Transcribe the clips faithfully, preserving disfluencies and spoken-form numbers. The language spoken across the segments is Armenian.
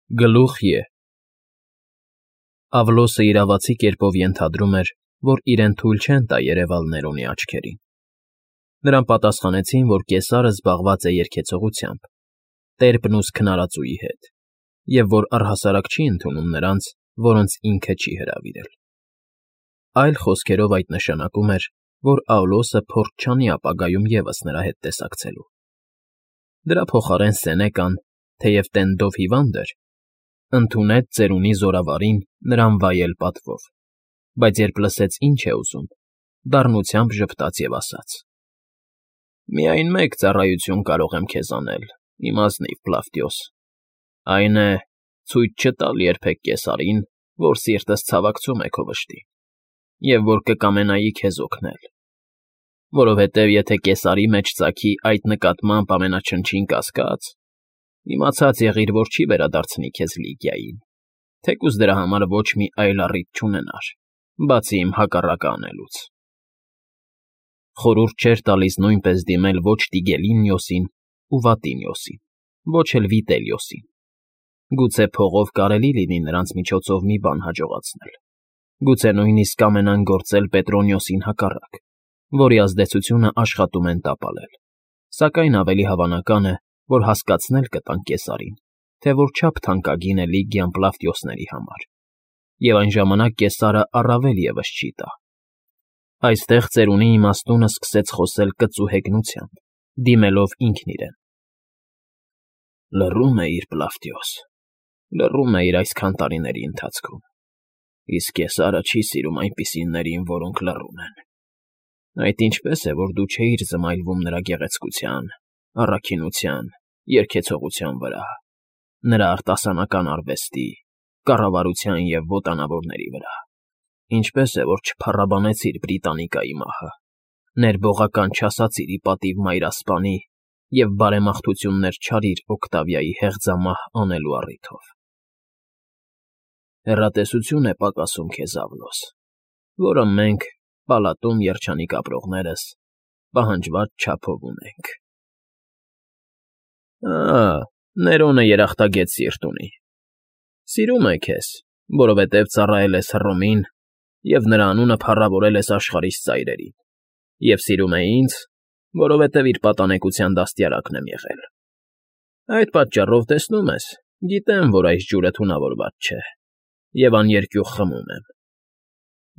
Գլուխ Ե Ավլոսը իրավացի կերպով ենթադրում էր, որ իրեն թույլ չեն տա երևալ Ներոնի աչքերին. նրան պատասխանեցին, որ կեսարը զբաղված է երգեցողությամբ, տերբն ուս քնարածուի հետ, և որ առհասարակ չի ընդունում նրանց, որոնց ինքը չի հրավիրել։ Այլ խոսքերով այդ նշանակում էր, որ Ավլոսը փորձ չանի ապագայում ևս նրա հետ տեսակցելու։ Դրա փոխարեն Սենեկան, թեև տենդով հիվանդ էր, ընդունեց ծերունի զորավարին նրան վայել պատվով, բայց երբ լսեց ինչ է ուզում, դառնությամբ ժպտաց և ասաց. «Միայն մեկ ծառայություն կարող եմ քեզ անել, իմ ազնիվ Պլավտիոս, այն է, ցույց չտալ երբեք կեսարին, որ սիրտս ցավակցում է քո վշտին, և որ կկամենայի քեզ օգնել, որովհետև եթե կեսարի մեջ ծագի այդ նկատմամբ ամենաչնչին կասկած, իմացած եղիր, որ չի վերադարձնի քեզ Լիգիային, թեկուզ դրա համար ոչ մի այլ առիթ չունենար, բացի իմ հակառակը անելուց»։ Խորհուրդ չէր տալիս նույնպես դիմել ոչ Տիգելինիոսին ու Վատինիոսին, ոչ էլ Վիտելիոսին. գուցե փողով կարելի լինի նրանց միջոցով մի բան հաջողացնել, գուցե նույնիսկ կամենան գործել Պետրոնիոսին հակառակ, որի ազդեցությունը աշխատում են տապալել, սակայն ավելի հավանական է, որ հասկացնել կտան կեսարին, թե որչափ թանկագին է Լիգիան Պլավտիոսների համար, և այն ժամանակ կեսարը առավել ևս չի տա։ Այստեղ ծերունի իմաստունը սկսեց խոսել կծու հեգնությամբ, դիմելով ինքն իրեն. «Լռում էիր, Պլավտիոս, լռում էիր այսքան տարիների ընթացքում, իսկ կեսարը չի սիրում այնպիսիներին, որոնք լռում են։ Այդ ինչպես է, որ դու չէիր զմայլվում նրա գեղեցկության, առաքինության, երգեցողության վրա, նրա արտասանական արվեստի, կառավարության և ոտանավորների վրա, ինչպես է, որ չփառաբանեցիր Բրիտանիկայի մահը, ներբողական չասացիր ի պատիվ մայրասպանի և բարեմաղթություններ չարիր Օկտավիայի հեղձամահ անելու առիթով։ Հեռատեսություն է պակասում քեզ, Ավլոս, որը մենք, պալատում երջանիկ ապրողներս, պահանջված չափով ունենք»։ «Ա՜, Ներոնը երախտագետ սիրտ ունի, սիրում է քեզ, որովհետև ծառայել ես Հռոմին և նրա անունը փառավորել ես աշխարհիս ծայրերին, և սիրում է ինձ, որովհետև իր պատանեկության դաստիարակն եմ եղել։ Այդ պատճառով, տեսնում ես, գիտեմ, որ այս ջուրը թունավորված չէ, և աներկյուղ խմում եմ։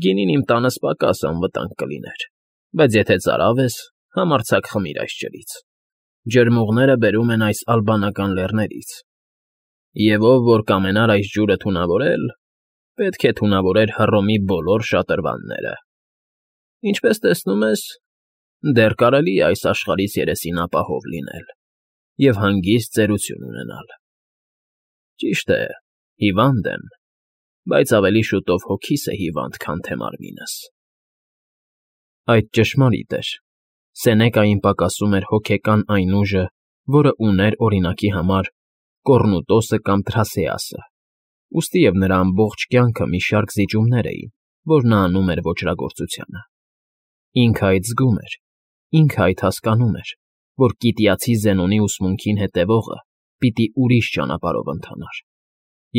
Գինին իմ տանս պակաս անվտանգ կլիներ, բայց եթե ծարավ ես, համարձակ խմիր այս ջրից։ Ջրմուղները բերում են այս ալբանական լեռներից, և ով որ կամենար այս ջուրը թունավորել, պետք է թունավորեր Հռոմի բոլոր շատրվանները։ Ինչպես տեսնում ես, դեռ կարելի է այս աշխարհիս երեսին ապահով լինել և հանգիստ ծերություն ունենալ։ Ճիշտ է, հիվանդ եմ, բայց ավելի շուտով հոգիս է հիվանդ, քան թե մարմինս»։ Այդ ճշմարիտ էր. Սենեկային պակասում էր հոգեկան այն ուժը, որը ուներ, օրինակի համար, Կոռնուտոսը կամ Թրասեասը, ուստիև նրա ամբողջ կյանքը մի շարք զիջումներ էին, որ նա անում էր ոճրագործությանը։ Ինքը այդ զգում էր, ինքը այդ հասկանում էր, որ կիտիացի Զենոնի ուսմունքին հետևողը պիտի ուրիշ ճանապարհով ընթանար,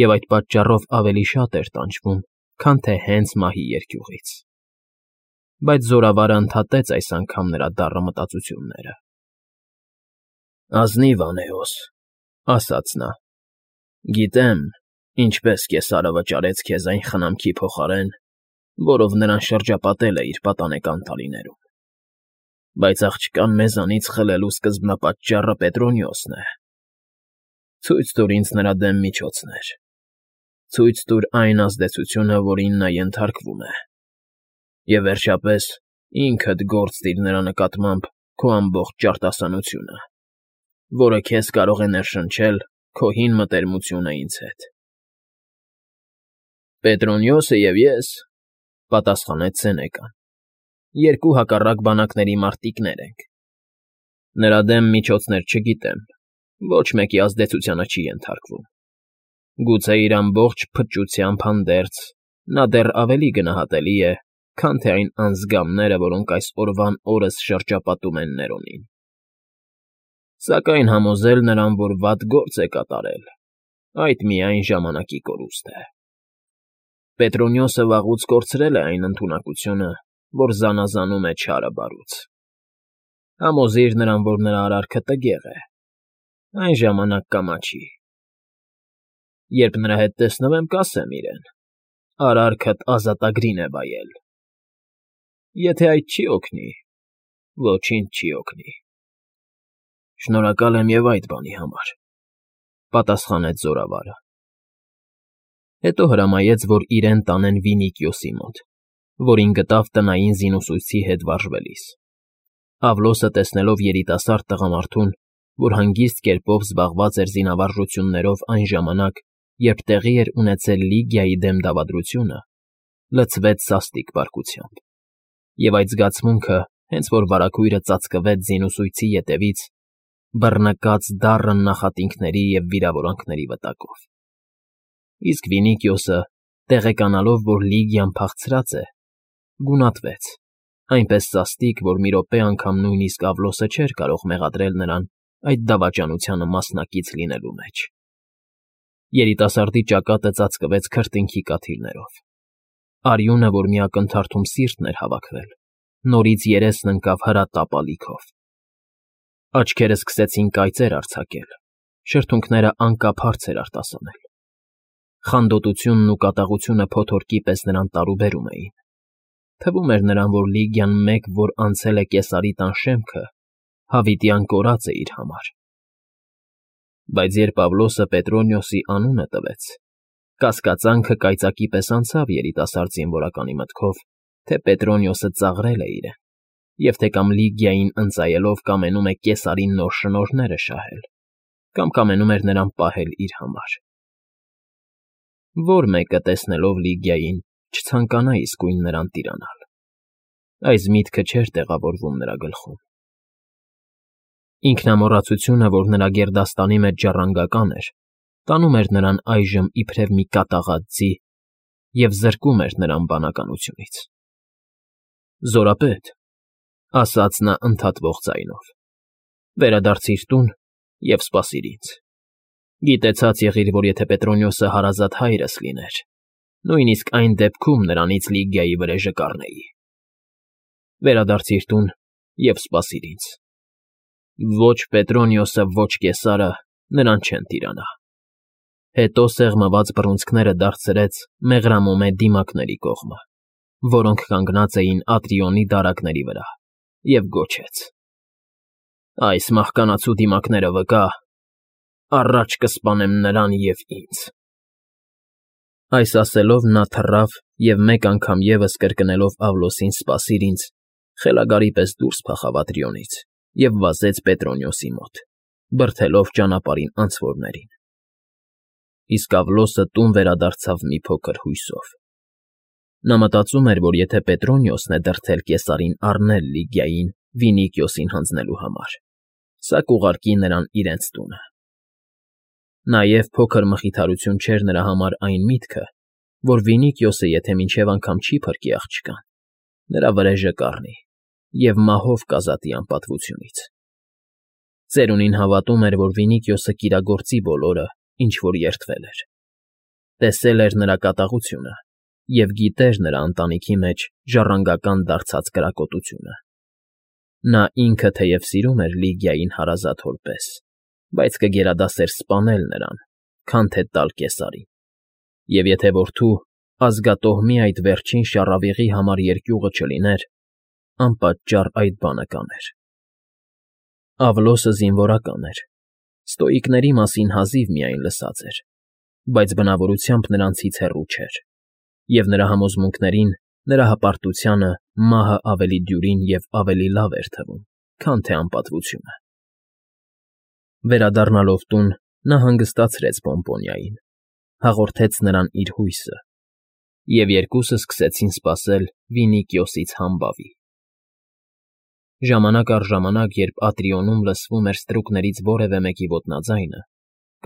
և այդ պատճառով ավելի շատ էր տանջվում, քան թե հենց մահի երկյուղից։ Բայց զորավարը ընդհատեց այս անգամ նրա դառը մտածությունները. «Ազնիվ Անեոս», ասաց նա, «գիտեմ, ինչպես կեսարը վճարեց քեզ այն խնամքի փոխարեն, որով նրան շրջապատել է իր պատանեկան տարիներում, բայց աղջկան մեզանից խլելու սկզբնապատճառը Պետրոնիոսն է։ Ցույց տուր ինձ նրա դեմ միջոցներ, ցույց տուր այն ազդեցությունը, որին նա ենթարկվում է, և վերջապես ինքդ գործ դիր նրա նկատմամբ քո ամբողջ ճարտասանությունը, որը քեզ կարող է ներշնչել քո հին մտերմությունը ինձ հետ»։ «Պետրոնիոսը և ես,֊ պատասխանեց Սենեկան,֊ երկու հակառակ բանակների մարտիկներ ենք։ Նրա դեմ միջոցներ չգիտեմ, ոչ մեկի ազդեցությանը չի ենթարկվում։ Գուցե իր ամբողջ փչությամբ հանդերձ նա դեռ ավելի գնահատելի է, քան թե այն անձգամները, որոնք այս օրվան օրս շրջապատում են Ներոնին։ Սակայն համոզել նրան, որ վատ գործ է կատարել, այդ միայն ժամանակի կորուստ է։ Պետրոնիոսը վաղուց կորցրել է այն ընդունակությունը, որ զանազանում է չարը բարուց։ Համոզիր նրան, որ նրա արարքը տգեղ է, այն ժամանակ կամաչի։ Երբ նրա հետ տեսնվեմ, կասեմ իրեն. արարքդ ազատագրին է վայել։ Եթե այդ չի օգնի, ոչինչ չի օգնի։ Շնորհակալ եմ և այդ բանի համար, պատասխանեց զորավարը։ Հետո հրամայեց, որ իրեն տանեն Վինիքիոսի մոտ, որին գտավ տնային զինուսույցի հետ վարժվելիս։ Ավլոսը, տեսնելով երիտասարդ տղամարդուն, որ հանգիստ կերպով զբաղված էր զինավարժություններով այն ժամանակ, երբ տեղի էր ունեցել Լիգիայի դեմ դավադրությունը, լցվեց սաստիկ պարկությամբ, և այդ զգացմունքը, հենց որ վարագույրը ծածկվեց զինուսույցի ետևից, բռնկաց դառն նախատինքների և վիրավորանքների վտակով։ Իսկ Վինիքիոսը, տեղեկանալով, որ Լիգիան փախցրած է, գունատվեց, այնպես սաստիկ, որ մի րոպե անգամ նույնիսկ Ավլոսը չէր կարող մեղադրել նրան այդ դավաճանությանը մասնակից լինելու մեջ։ Երիտասարդի ճակատը ծածկվեց քրտինքի կաթիլներով։ Արյունը, որ մի ակնթարթում սիրտն էր հավաքվել, նորից երեսն ընկավ հրատապ ալիքով։ Աչքերը սկսեցին կայծեր արձակել, շրթունքները անկապ հարցեր արտասանել։ Խանդոտությունն ու կատաղությունը փոթորկի պես նրան տարուբերում էին։ Թվում էր նրան, որ Լիգիան մեկ, որ անցել է Կեսարի տան շեմքը, հավիտյան կորած է իր համար։ Բայց երբ Ավլոսը Պետրոնիոսի անունը տվեց, կասկածանքը կայծակի պես անցավ երիտասարդ զինվորականի մտքով, թե Պետրոնիոսը ծաղրել է իրեն, և թե կամ Լիգիային ընծայելով կամենում է Կեսարին նոր շնորհները շահել, կամ կամենում էր նրան պահել իր համար։ Որ մեկը, տեսնելով Լիգիային, չցանկանա իսկույն նրան տիրանալ։ Այս միտքը չէր տեղավորվում նրա գլխում։ Ինքնամոռացությունը, որ նրա գերդաստանի մեջ ժառանգական էր, տանում էր նրան այժմ իբրև մի կատաղած ձի և զրկում էր նրան բանականությունից։ Զորապետ, ասաց նա ընդհատվող ձայնով, վերադարձիր տուն և սպասիր ինձ։ Գիտեցած եղիր, որ եթե Պետրոնիոսը հարազատ հայրս լիներ, նույնիսկ այն դեպքում նրանից Լիգիայի վրեժը կառնեի։ Վերադարձիր տուն և սպասիր ինձ։ Ոչ Պետրոնիոսը, ոչ Կեսարը նրան չեն տիրանա։ Հետո սեղմված բռունցքները դարձրեց մեղրամոմե դիմակների կողմը, որոնք կանգնած էին Ատրիոնի դարակների վրա, և գոչեց. այս մահկանացու դիմակները վկա, առաջ կսպանեմ նրան և ինձ։ Այս ասելով նա թռավ և մեկ անգամ ևս կրկնելով Ավլոսին «սպասիր ինձ», խելագարի պես դուրս փախավ Ատրիոնից և վազեց Պետրոնիոսի մոտ, բրդելով ճանապարհին անցորդներին։ Իսկ Ավլոսը տուն վերադարձավ մի փոքր հույսով։ Նա մտածում էր, որ եթե Պետրոնիոսն է դրդել Կեսարին առնել Լիգիային Վինիքիոսին հանձնելու համար, սա կուղարկի նրան իրենց տունը։ Նաև փոքր մխիթարություն չէր նրա համար այն միտքը, որ Վինիքիոսը, եթե մինչև անգամ չի փրկի աղջկան, նրա վրեժը կառնի և մահով կազատի անպատվությունից։ Ծերունին հավատում էր, որ Վինիքիոսը կիրագործի բոլորը, ինչ որ երդվել էր։ Տեսել էր նրա կատաղությունը և գիտեր նրա ընտանիքի մեջ ժառանգական դարձած կրակոտությունը։ Նա ինքը թեև սիրում էր Լիգիային հարազատ հոր պես, բայց կգերադասեր սպանել նրան, քան թե տալ Կեսարին, և եթե որդու, ազգատոհմի այդ վերջին շառավիղի համար երկյուղը չլիներ, անպատճառ այդ բանը կաներ։ Ավլոսը զինվորական էր, ստոիկների մասին հազիվ միայն լսած էր, բայց բնավորությամբ նրանցից հեռու չէր, և նրա համոզմունքներին, նրա հպարտությանը մահը ավելի դյուրին և ավելի լավ էր թվում, քան թե անպատվությունը։ Վերադառնալով տուն, նա հանգստացրեց Պոմպոնիային, հաղորդեց նրան իր հույսը, և երկուսը սկսեցին սպասել Վինիքիոսից համբավի։ Ժամանակ առ ժամանակ, երբ Ատրիոնում լսվում էր ստրուկներից որևէ մեկի ոտնաձայնը,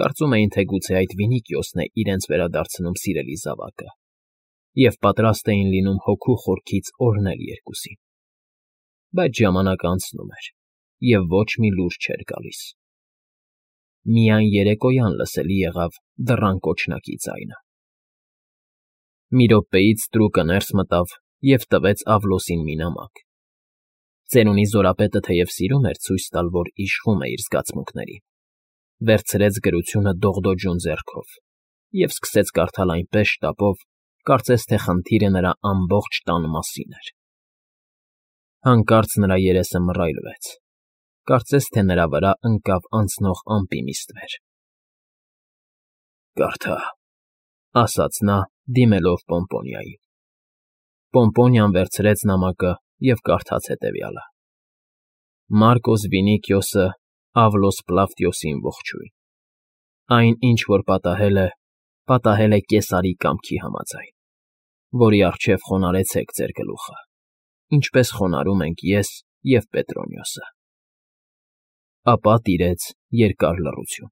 կարծում էին, թե գուցե այդ Վինիքիոսն է իրենց վերադարձնում սիրելի զավակը, և պատրաստ էին լինում հոգու խորքից օրհնել երկուսին։ Բայց ժամանակը անցնում էր, և ոչ մի լուր չէր գալիս։ միայն երեկոյան լսելի եղավ դռան կոչնակի ձայնը։ Մի րոպեից ստրուկը ներս մտավ և տվեց Ավլոսին մի նամակ։ Ծերունի զորապետը թեև սիրում էր ցույց տալ, որ իշխում է իր զգացմունքներին, վերցրեց գրությունը դողդոջուն ձեռքով և սկսեց կարդալ այնպես շտապով, կարծես թե խնդիրը նրա ամբողջ տան մասին էր։ Հանկարծ նրա երեսը մռայլվեց, կարծես թե նրա վրա ընկավ անցնող ամպի մի ստվեր։ ֊ Կարդա,֊ ասաց նա, դիմելով Պոմպոնիային։ Պոմպոնիան վերցրեց նամակը և կարդաց հետևյալը. «Մարկոս Վինիկիոսը Ավլոս Պլավտիոսին ողջույն։ Այն, ինչ որ պատահել է, պատահել է Կեսարի կամքի համաձայն, որի առջև խոնարհեցեք ձեր գլուխը, ինչպես խոնարհում ենք ես և Պետրոնիոսը»։ Ապա տիրեց երկար լռություն։